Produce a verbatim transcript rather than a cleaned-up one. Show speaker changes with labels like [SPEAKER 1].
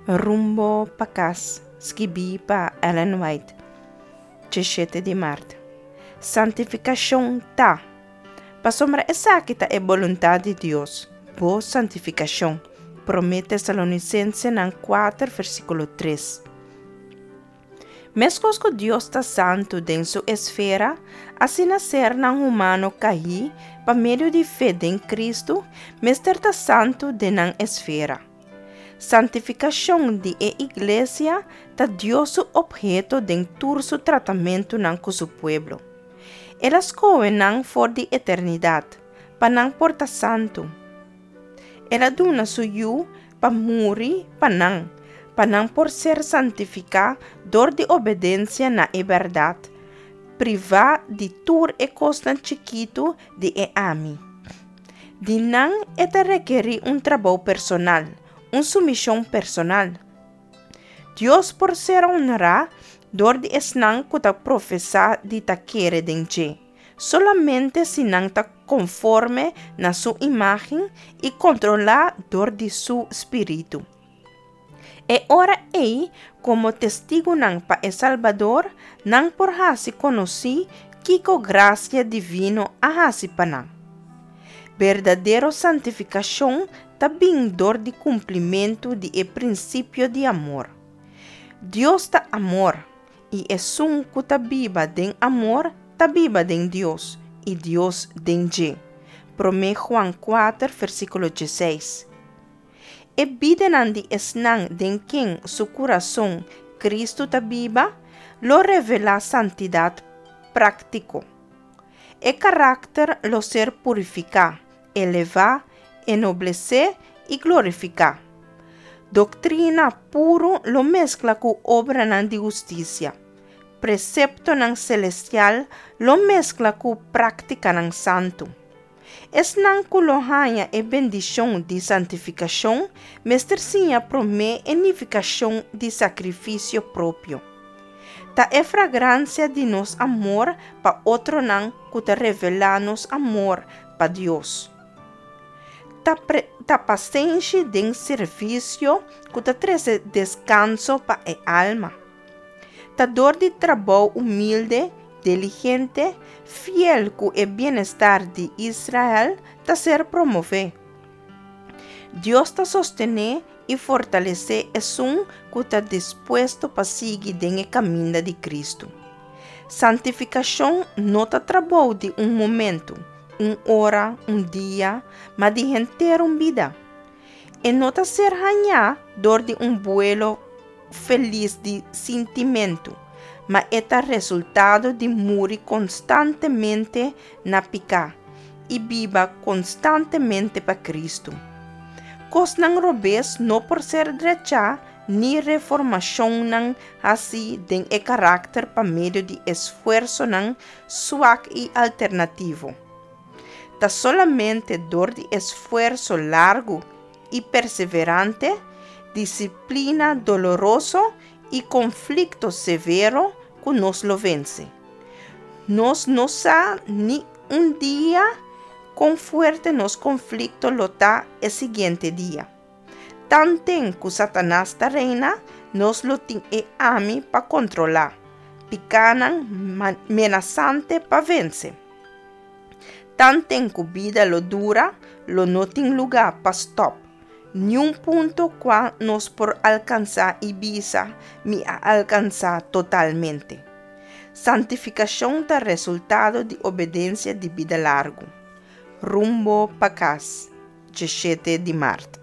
[SPEAKER 1] Rumbo pa Kas, skibí pa Ellen White, diesshete di mart. Santifikashon ta. Pasobra esaki ta e boluntat di Dios, boso santifikashon. Promé Tesalonisensenan kuater versíkulo tres. Meskos ku Dios ta santu den su esfera, asina sernan humano kaí pa medio di fe den Kristu, mester ta santu den nan esfera. Santifikashon di e iglesia ta Dios su opheto den tur su tratamentunan ku su pueblo. El a skohe nan for di eternidat, pa nan por ta santu. El a duna su Yu pa muri pa nan, pa nan por ser santifiká dor di obedensia na e bèrdat, privá di tur e kosnan chikitu di e ami. Di nan e ta rekerí un trabou personal, un sumishon personal. Dios por ser honrá dor di esnan ku ta profesá di ta kere den dje, solamente si nan ta konforme na su imágen i kontrolá dor di su spiritu. E ora ei, komo testigunan pa e Salbador, nan por hasi konosí kiko grasia divino a hasi pa nan. Berdadero santifikashon ta bin dor di kumplimentu di e prinsipio di amor. Dios ta amor, i esun ku ta biba den amor ta biba den Dios, i Dios den dje. Promé Juan kuater versíkulo diesseis. E bidanan di esnan den ken su kurason Kristu ta biba, lo revelá santidat práktiko. E karakter lo ser purifiká, elevá, ennoblesé i glorifiká. Doktrina puru lo meskla ku obranan di hustisia. Preseptonan selestial lo meskla ku práktikanan santu. Esnan ku lo haña e bendishon di santifikashon mester siña promé e nifikashon di sakrifisio propio. Ta e fragransia di nos amor pa otronan ku ta revelá nos amor pa Dios. Ta, pre, ta pasenshi den servisio ku ta trese deskanso pa e alma. Ta dor di trabou humilde, diligente, fiel ku e bienestar di Israel ta ser promové. Dios ta sostené i fortalesé esun ku ta dispuesto pa sigui den e kaminda di Kristu. Santifikashon no ta trabou di un momento, un ora, un dia, ma di henter un bida. E no ta ser hañá dor di un buelo felis di sintimentu, ma e ta resultado di muri konstantemente na piká i biba konstantemente pa Kristu. Kosnan robes no por ser drechá ni reformashonnan hasí den e karakter pa medio di esfuersonan suak i alternativo. Ta solamente dor di esfuerso largu i perseverante, disiplina doloroso i konflikto severo ku nos lo vense. Nos no sa ni un dia kon fuerte nos konflikto lo ta e siguiente dia. Tanten ku Satanas ta reina, nos lo tin e ami pa kontrolá, pikánan menasante pa vense. Tanten ku bida lo dura, lo no tin lugá pa stòp. Niun punto kua nos por alkansá i bisa mi a alkansá totalmente. Santifikashon ta resultado di obedensia di bida largu. Rumbo pa Kas, diesshete di mart.